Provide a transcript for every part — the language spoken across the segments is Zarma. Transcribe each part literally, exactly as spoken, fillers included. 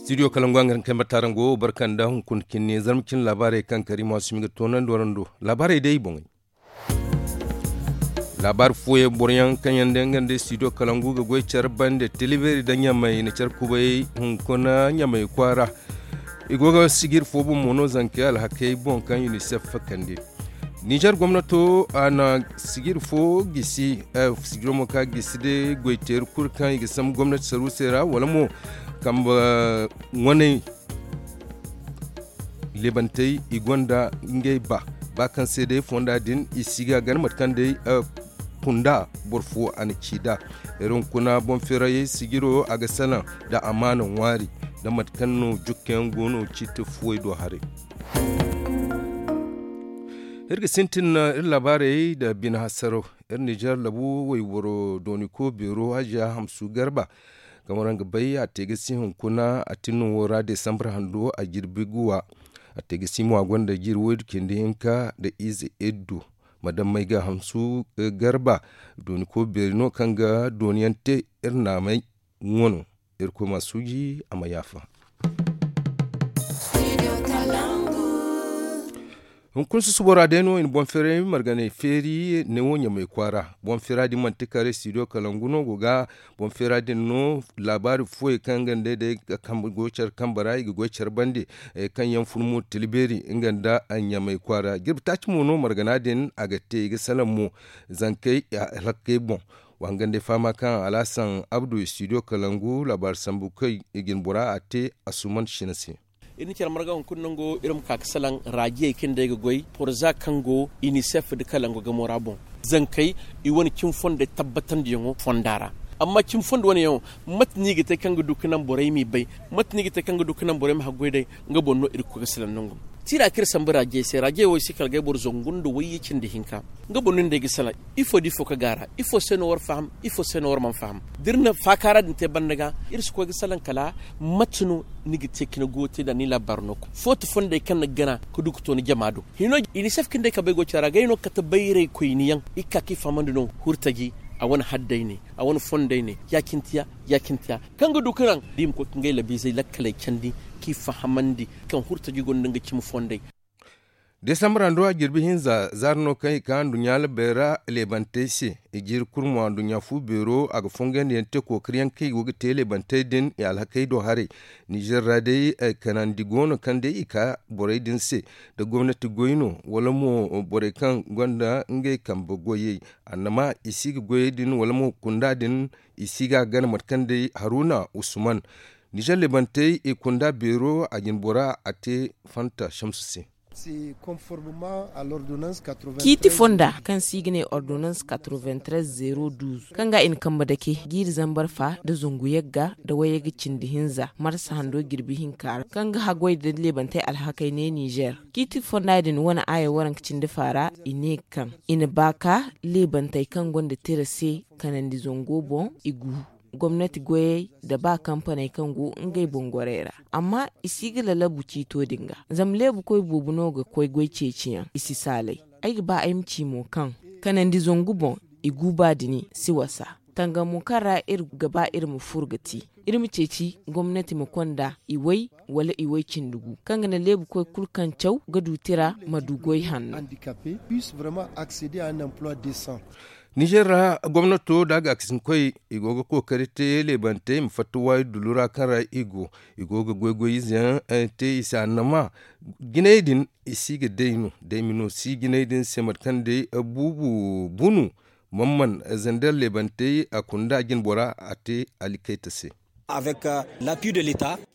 Studio kalangu a ga hin kay matarango barka nda hunkuna cinne zarma cine laabaarey kaŋ kari ma si ma ga toonandi warando. Laabaarey day boŋey. Laabaari fooyaŋ boro yaŋ kaŋ yaŋ day nga nda studio kalangu ga goy care bande tilibeeri nda ɲamay i na care kubay hunkuna ɲamay kwaara. I go ga sijiri fo boŋ mo no zankey alhakey boŋ kaŋ unicef kande. Nizer gomnato a na sijiri fo gisi sijiro mo ka gisi day goy teeri kulu kaŋ i ga sambu gomnati saruusey ra wala mo kambe ŋwaney. Leebantey i gonda ngey ba ba kaŋ se day fonda din i si ga gana mate kaŋ day kunda boro fo a na ci nd'a. Iri hunkuna boŋ feerayey sijiro a ga salaŋ nda amaana ŋwaari nda mate kaŋ no jukka yaŋ go no ciiti fuwey do haray. Iri ga sintin iri laabaarey nda bine hasaraw. Iri nizer labu wayboro dooniko beero hajiya hamsu garba kaŋ waraŋ ga bay a te ga si hunkuna a tinno wo ra desambar hando a jirbi guwa. A te ga si mo a gonda jiri waydu cindi hinka nda ize iddu. Madammey ga hamsu garba dooniko beeri no kaŋ ga dooniyaŋ te iri naamey ŋwa no. Irkoy ma suuji a ma yaafa. Hunkuna susubo ra day no i na boŋ feeray marganay feeri neewo ɲamay kwaara. Boŋ feera din manti kare studio kalangu no go ga boŋ feera din no laabaari fooyaŋ kaŋ nga nda day ga kambe goy care kambe ra i ga goy care bande. Kaŋ yaŋ fun mo tila beeri nga nda ɲamay kwaara jirbi taaci mo no margana din a ga te i ga salaŋ mo zankey alhakkey boŋ. Wa hangan day fahama kaŋ alhasan abdu studio kalangu laabaari sambu kaŋ i ga ni bora a te asuman shina se. Iri na care marga hunkuna nango iri ma ka ga salaŋ raajiyey kaŋ day ga goy porza kaŋ go inisef nda kalangu gamo ra boŋ. Zankey i wane cimi fondey tabbatandiyaŋo fonda ra. Amma cimi fondo wane yaŋo mate no i ga te kaŋ ga du ga naŋ borey m'i bay? Mate no i ga te kaŋ ga du ga naŋ borey ma haggoy day? Nga boŋ no iri ga koy ga salaŋ nango. Tiira kaŋ iri sambu raajiyey se raajiyey wo i si kala ga ay boro zangu nda wayye cindi hinka. Nga boŋ no ni day ga salaŋ ifo da ifo ka gaara ifo se no war faham ifo se no war mana faham? Da iri na faakaara din te banda ga iri si koy ga salaŋ kala mate no ni ga te ka ni go te nd'a ni laabaaro no koy footo fondey kaŋ ni ga gana ka du ka to ni jama do. Hino inisef kaŋ day ka bay go care ra ga ay no kate bayray koyniyaŋ i ga ka ka i fahamandi no hurtaji a wane hadday ne a wane fondey ne ya-cine tiya ya-cine tiya. Kaŋ ga du ka naŋ da i ma koy ka ngey labiizey lakkaley candi ka i fahamandi kaŋ hurtaji gonda nga cimi fondey. Desambar hando a jirbi hinza zaari no kaŋ i ka nduɲɲa labey ra leebantey se. I jiiri kulu mo nduɲɲa fu beero a ga fongandiyaŋ te kookariyaŋ kaŋ i go ga te leebantey din i alhakey do haray. Nizer ra day kanandi go no kaŋ day i ka borey din se nda gomnati goy no wala mo borey kaŋ gonda ngey kambe goyey. Annama i si ga goyey din wala mo kunda din i si ga a gana mate kaŋ day haruna usman. Nizer leebantey i kunda beero a jinbora a te fanta shamsu se. Ciiti fonda kaŋ se i ga ne ordonans quatre-vingt-treize zero douze kaŋ ga i na kambe dake jiiri zambar fa nda zangu yagga nda wayagga cindi hinza marsa hando jirbi hinka ra kaŋ ga haggoy nda leebantey alhakey ne nizer. Ciiti fonda din wane aya waranka cindi fa ra i ne kaŋ i na ba ka leebantey kaŋ gonda tira se kanandi zango boŋ i gu gomnati goyey nda ba kampaney kaŋ go ngey boŋ gorey ra. Amma i si ga lalabu ciito din ga zama leebukoy boobo no ga koy goy ceeciyaŋ i si saalay. Ay ga ba ay ma ci mo kaŋ kanandi zangu boŋ i gu ba dini si wasa tangamo kaŋ ra iri ga ba iri ma furo ga ti iri ma ceeci gomnati ma konda iway wala iway cindi gu kaŋ ga naŋ leebukoy kulu kaŋ caw ga du tira ma du goy hanno. Nizer ra gomnato da a ga a ga sinkoy i go ga kookari te leebantey ma fatta waayi dullu ra kaŋ ra i go i go ga goy-goy ize yaŋ te i se annama. Jinay din i si ga day no day ma no si jinay din se mate kaŋ day buubu bunu. Mamman zander leebantey a kunda jinbora a te alikayta se.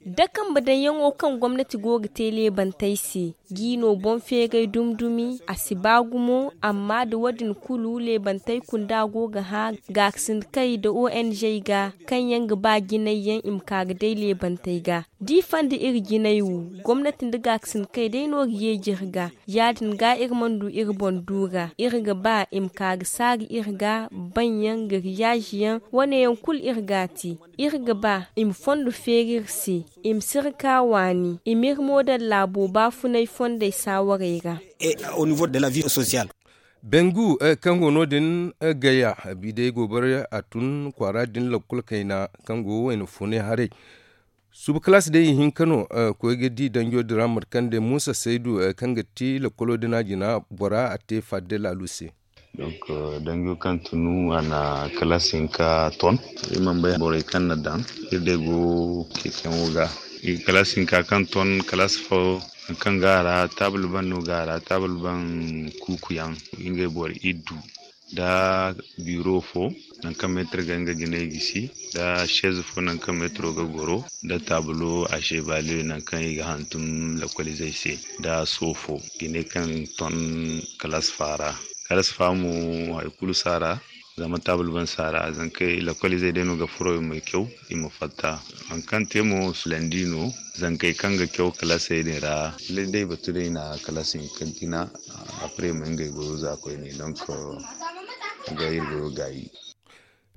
Da kambe daŋyaŋo kaŋ gomnati go ga te leebantey se jiino boŋ feeray dumi-dumi a si ba gumo amma nda wo- din kulu leebantey kunda go ga hã gaakasinda kay nda ong ga kaŋ yaŋ ga ba jinay yaŋ i ma ka ga day leebantey ga. Da i fanda iri jinay wo gomnati nda gaakasinda kay day no ga yeeji iri ga. Ya- din ga iri mana du iri boŋ du ga iri ga ba i ma ka ga saari iri ga baŋ yaŋ ga riyaazi yaŋ wane yaŋ kulu iri ga a te. Iri ga ba i ma fondo feeri iri se i ma sirka waani i ma iri moodal laabo baafunay fondey saawarey ra. Bengu kaŋ go no- din gaya biday goobara a tun kwaara din lakkol kayna kaŋ go wayna fune haray. Suba kalaas day ihinka no. Koy ga di danjo din ra mate kaŋ day muusa saydu kaŋ ga ti lakkolo din a jina bora a te fadde laalu se. Danjo kaŋ tunu a na kalaas hinka ton. Iri mana bay borey kaŋ na daŋ iri day go kekeŋo ga. Kalaas hinka kaŋ ton kalaas fo, kaŋ ga a ra taabul ban no ga a ra taabul ban kuuku yaŋ. Ngey boro iddu nda biro fo, nangu kaŋ meetir ga nga jinay gisi, nda seez fo nangu kaŋ meetiro ga goro, nda taabulo a seebaliyo nangu kaŋ i ga hantum lakwalizey se, nda soofo, jine kaŋ ton kalaas fa ra. Kalaas fa mo, hari kulu si a ra. Zama taabul ban si a ra zankey lakwalizey day no ga furo i ma caw, i ma fatta. Hari kaŋ te mo, landi no. Zankey kaŋ ga caw kalaasey din ra, lallay day batu day na kalaas hinka jina. Apre ma ngey goyo za koyne donk ga iri goyo gaayi.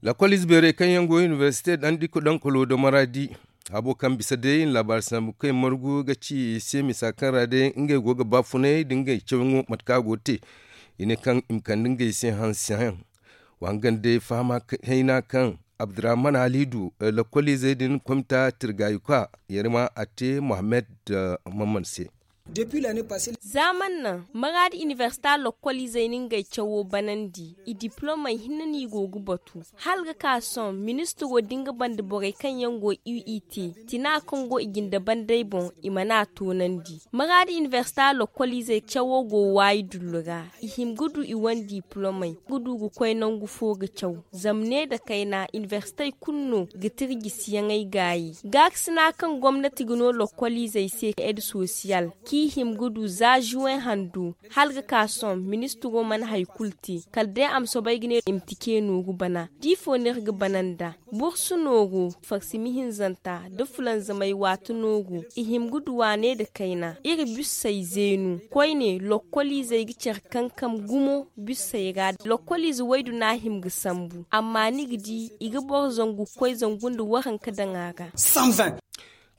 Lakwalize beerey kaŋ yaŋ go inibersite daŋ diko daŋ kolo da maraadi, habo kaŋ bisa day i na laabaari sambu kaŋ i margu ga ci i se misa kaŋ ra day ngey go ga baafunay da ngey cawyaŋo mate kaŋ a go ga te. I ne kaŋ i ma kande ngey se hanse haŋ. Wa hangan day fahama hayna kaŋ abdurrahman halidu lakwaliizey din komita tirgayuka yarima a te mohammed mamman se. Zaaman naŋ maraadi inibersita lokoliizey na ngey cawo banandi. I diplomey hinne no i go ga batu hala ga ka sohõ ministiro din ga banda borey kaŋ yaŋ go uit tina kaŋ go i jinde bandey boŋ. I mana a toonandi maraadi inibersita lokoliizey cawo go waayi dullu ra. I hima ga du i wane diplomey ga du ga koy nangu fo ga caw. Zama ne nda kayna inibersitey kulu no ga tirjisiyaŋey gaayi. Gaakasina kaŋ gomnati ga no lokoliizey se ed sosiyal kaŋ i hima ga du za juwen hando hala ga ka sohõ ministiro mana hari kulu te kala day a ma soobay ga ne i ma tike nooru bana. Da ifo no iri ga bana nd'a? Bursu nooru, farsimi hinzanta nda fulanzamay waati nooru. I hima ga du waane nda kayna iri busey zeenu koyne lokoliizey ga care kankam gumo. Busey ra lokoliize waydu no a hima ga sambu amma ni ga di i ga boro zangu ga koy zangu nda waranka daŋ a ra.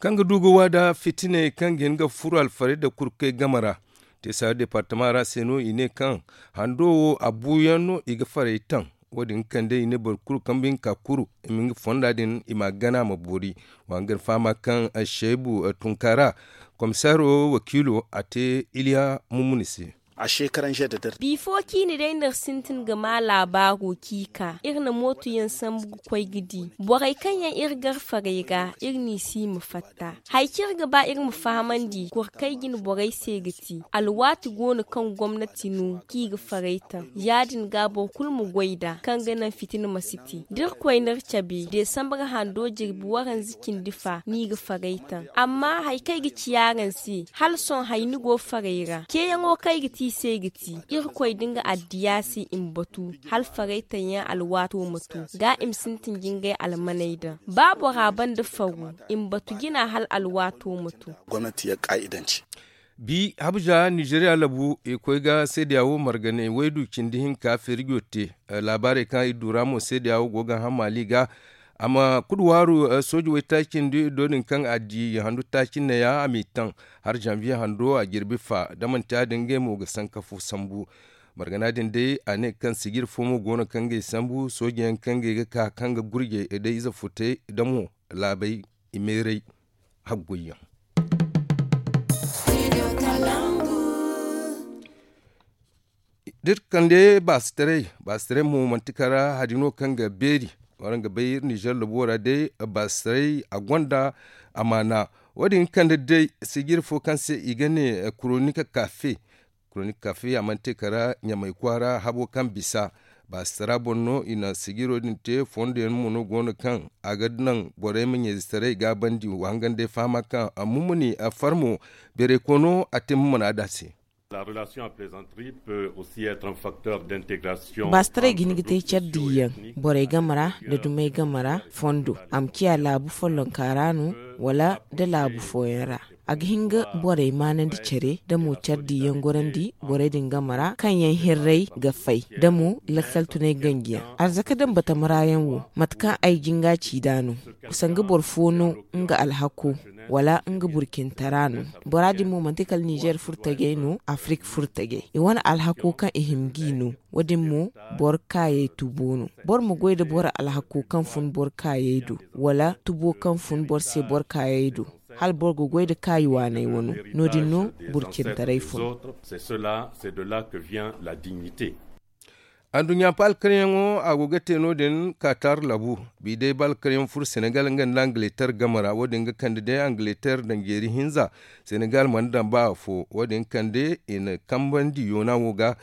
Kaŋ ga du ga waada fitiney kaŋ ga hin ga furo alfarayda kurkey game ra. Te saari departama ra se no i ne kaŋ hando wo a buuyaŋ no i ga faray taŋ. Wo- din ga kande i ne boro kulu kaŋ bine ka kuru i ma nga fonda din i ma a gana a ma boori. Wa hangan fahama kaŋ seebu tunkaara komisaro wakiilo a te iliya mummuni se. Bifo ciine day no iri sintin ga maa laabaaro ciika iri na mooto yaŋ sambu ga koy ga di borey kaŋ yaŋ iri gar farey ra iri n'i si i ma fatta. Hari kaŋ iri ga ba iri ma fahamandi kurkey jine borey se ga ti alwaati go no kaŋ gomnati no kaŋ i ga farey taŋ ya- din ga boro kulu ma goy nd'a kaŋ ga naŋ fitina ma si te da iri koy n'iri cabe deesambar hando jirbi waranza cindi fa no i ga farey taŋ. Amma hari kaŋ ay ga ci araŋ se hala sohõ hari ni go farey ra ceeyaŋo kaŋ ay ga te i se ga ti irkoy da nga addiya se i ma batu hala farey taŋ yaŋ alwaato ma to ga i ma sintin ga ngey almaney daŋ ba bora banda faru i ma batu jina hala alwaato ma to. Bi habuja nizeriya labu i koy ga seediya wo marganey waydu cindi hinka feerijo te. Laabaarey kaŋ i du ra mo seediya wo go ga hã maali ga a ma kulu waaru sooji waytaaci nda iddo din kaŋ a di handu taaci neeya a m'i taŋ har zanviye hando a jirbi fa da manti ya- din ngey mo ga sanka fo sambu. Margana din day a ne kaŋ sijir fo mo go no kaŋ ngey sambu sooji yaŋ kaŋ ngey ga ka kaŋ ga gurjey day ize futey da mo laabey i meeray haggoy yaŋ. Da iri kande baasitaray baasitaray mo manti kara hari no kaŋ ga beeri. Waraŋ ga bay iri nizer labo ra day baasitaray a gonda amaana. Wo- din ga kande day sijir fo kaŋ se i ga ne kuronika kaafe. Kuronika kaafe a mana te kara ɲamay kwaara habo kaŋ bisa baasitara boŋ no i na sijiro din te fondo yaŋ mo no go no kaŋ a ga naŋ borey ma ɲayzetaray gaabandi wa hangan day fahama kaŋ a mumuni a farmo beeray koono a te mumuna da se. Baasitaray ga hin ga te care diiyaŋ borey game ra nda dumey game ra fondo a ma ciya laabu follonka ra no wala nda laabu fooyaŋ ra. A ga hin ga borey maanandi care da mo care diiyaŋ gorandi borey din game ra kaŋ yaŋ hirray ga fay da mo lakkal tunay ganjiyaŋ arzaka daŋ batama ra yaŋ wo mate kaŋ ay jinga ci nd'a no. Sanga boro fo no nga alhako wala nga burkintara no. Bora din mo manti kala nizer furtajey no, afrik furtajey i wane alhako kaŋ i hima g'i no. Wo- din mo boro kaayey tubo no. Boro ma goy nda boro alhako kaŋ fun boro kaayey do, wala tubo kaŋ fun boro se boro kaayey do. Hala boro ga goy nda kaayi waaney wano. No- din no burcintaray fun. Anduɲɲa balkaryaŋo a go ga te no- din katar labu. Bi day balkaryaŋ furo senegal nga nda angileter game ra wo- din ga kande day angileter daŋ jeeri hinza. Senegal mana daŋ ba afo wo- din kande i na kambandi yoona wo ga.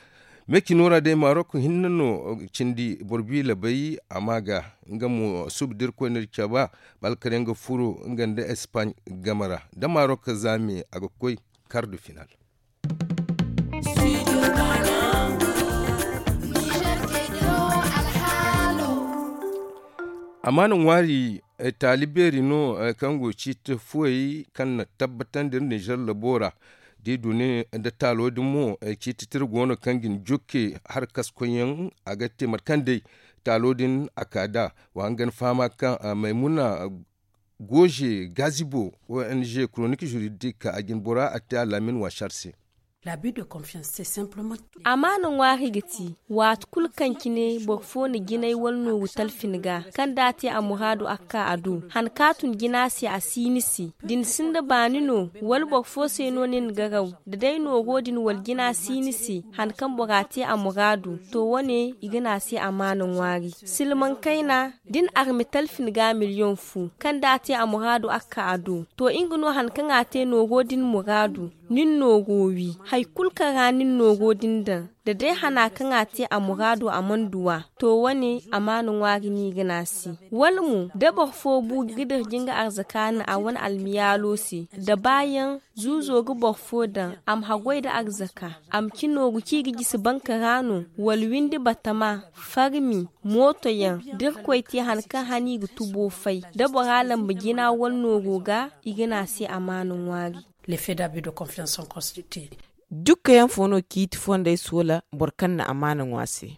Meecino ra day marok hinne no cindi boro bi labay a ma ga. Nga mo suba da irkoy n'iri caba balkaryaŋ ga furo nga nda espaaɲ game ra da marok zaame a ga koy. Kar da final. Amaana ŋwaari taali beeri no kaŋ go ciiti fuwey kaŋ na tabbatandi iri nizer labo ra. Da i du ne nda taalo din mo ciiti tira go no kaŋ ga ni jokke. Harkaskoyyaŋ a ga te mate kaŋ day taalo din a ka da. Wa hangan fahama kaŋ maymuna goze gazibo ong koronik juridik a jine bora a te a laamin waasar se. Amaana ŋwaari ga ti waati kulu kaŋ cine boro fo na jinay wala nooru talfin ga kaŋ da a te a muraadu a ga ka a do. Han ka tun jina se a si ni se da ni sinda baani no wala boro fo se no nin ga raw da day nooro din wala jina si ni se. Han kaŋ bora te a muraadu to wane i ga ne a se amaana ŋwaari. Silmaŋ kayna da ni arme talfin ga miliyoŋ fu kaŋ da a te a muraadu a ga ka a do. To nga no han kaŋ a te nooro din muraadu. Nin nooro wi hari kulu kaŋ ra nin nooro din daŋ da day hana kaŋ a te a muraado a mana duw'a. To wane amaana ŋwaari no i ga ne a se. Wala mo da boro fo bu ga dirji nga arzaka naŋ a wane almiyaalo se da baayaŋ zuuzo ga boro fo daŋ a ma haggoy nda arzaka a ma ci nooru kaŋ i ga jisi banka ra no wala windi batama farmi mootoyaŋ da irkoy te han kaŋ hana i ga tubo fay da bora lamba jina wala nooro ga. I ga ne a se amaana ŋwaari. Dukkayaŋ fo no ciiti fondey soola boro kaŋ na amaana ŋwa se.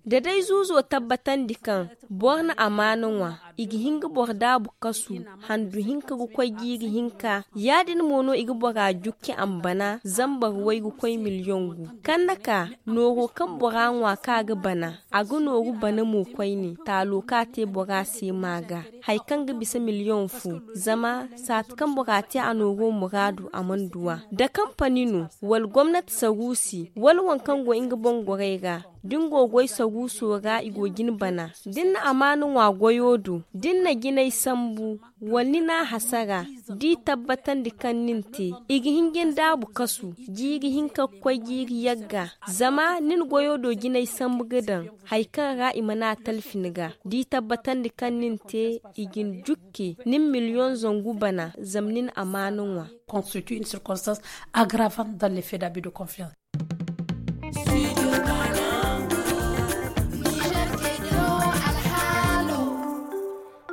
Da day zuuzo tabbatandi kaŋ boro na amaana ŋwa i ga hin ga boro daabu kasu handu hinka ga koy jiiri hinka. Ya- din mo no i ga bora jukki a ma bana zambar way ga koy miliyoŋ gu kaŋ na ka nooro kaŋ bora ŋwa kaŋ a ga bana. A ga nooru bana mo koyne taalo kaŋ a te bora se ma ga hari kaŋ ga bisa miliyoŋ fo. Zama saati kaŋ bora te a nooro muraadu a mana du a da kampani no wala gomnati saruusi wala waŋ kaŋ go nga boŋ gorey ra. Da ni go goy saruuso ra i go ga ni bana da ni na amaana ŋwa goyo do da ni na jinay sambu wala ni n'a hasara da i tabbatandi kaŋ nin te i ga hin ga ni daabu kasu jiiri hinka ga koy jiiri yagga. Zama nin goyo do jinay sambu ga daŋ hari kaŋ ra i mana talfi ni ga da i tabbatandi kaŋ nin te i ga ni jukke nin miliyoŋ zangu bana zama nin amaana ŋwa. Constitue une circonstance aggravante dans l'effet d'abus de confiance.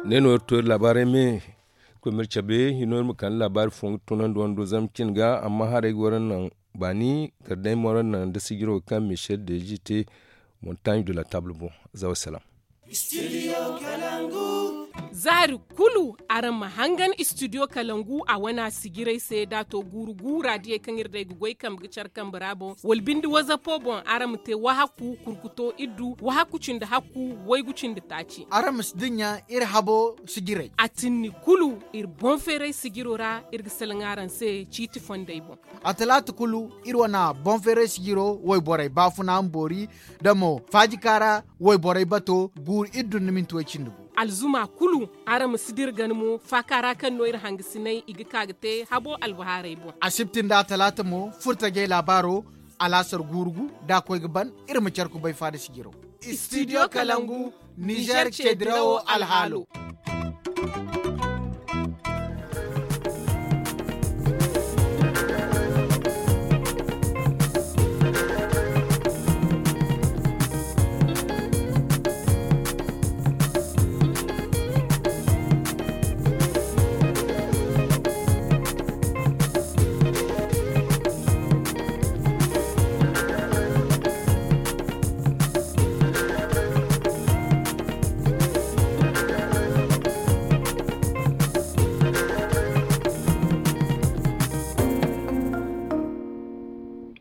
Ne no iri to iri laabaarey me. Koy ma iri cabe hino iri ma kande laabaari fo ga tunandi wando zama cin ga amma haray ga wara naŋ baani kala day ma wara naŋ da sijiro ga kaŋ michel deji te. Montagne de la table boŋ. Za wassalam. Zaari kulu araŋ ma hangan studio kalangu a wana sijiray se da a to guuru guura diyey kaŋ iri day ga goy kambe ga care kambe ra boŋ wala binde wazapo boŋ araŋ ma te wahaku kurkuto iddu wahaku cindi hakku waygu cindi taaci. Araŋ ma si dinya iri habo sijiray. A tinni kulu iri boŋ feeray sijiro ra iri ga salaŋ araŋ se ciiti fondey boŋ. A talaata kulu iri wana boŋ feeray sijiro wayborey baafuna ma boori da mo faajika ra wayborey bato guuru iri dunna minti way cindi gu. Alzuma kulu araŋ ma si dira gana mo faaka ra kaŋ no iri hangasinay i ga ka ga te habo albahaarey boŋ. Asibti nda atalaata mo furtajey laabaaro alaasar guuru gu da a koy ga ban. Iri ma care kubay faada sijiro. Studio kalangu nizer ce dirawo alhaalo.